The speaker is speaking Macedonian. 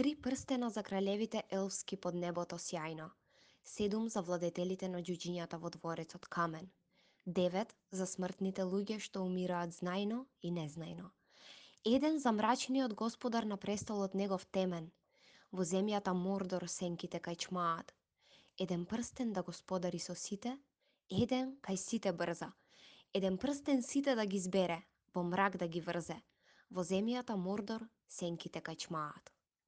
3 прстена за кралевите елфски под небото сјајно, 7 за владетелите на џуџињата во дворецот камен, 9 за смртните луѓе што умираат знајно и незнајно, 1 за мрачниот господар на престолот негов темен, во земјата Мордор сенките кај 1 прстен да господари со сите, 1 кај сите брза, 1 прстен сите да ги збере, во мрак да ги врзе, во земјата Мордор сенките кај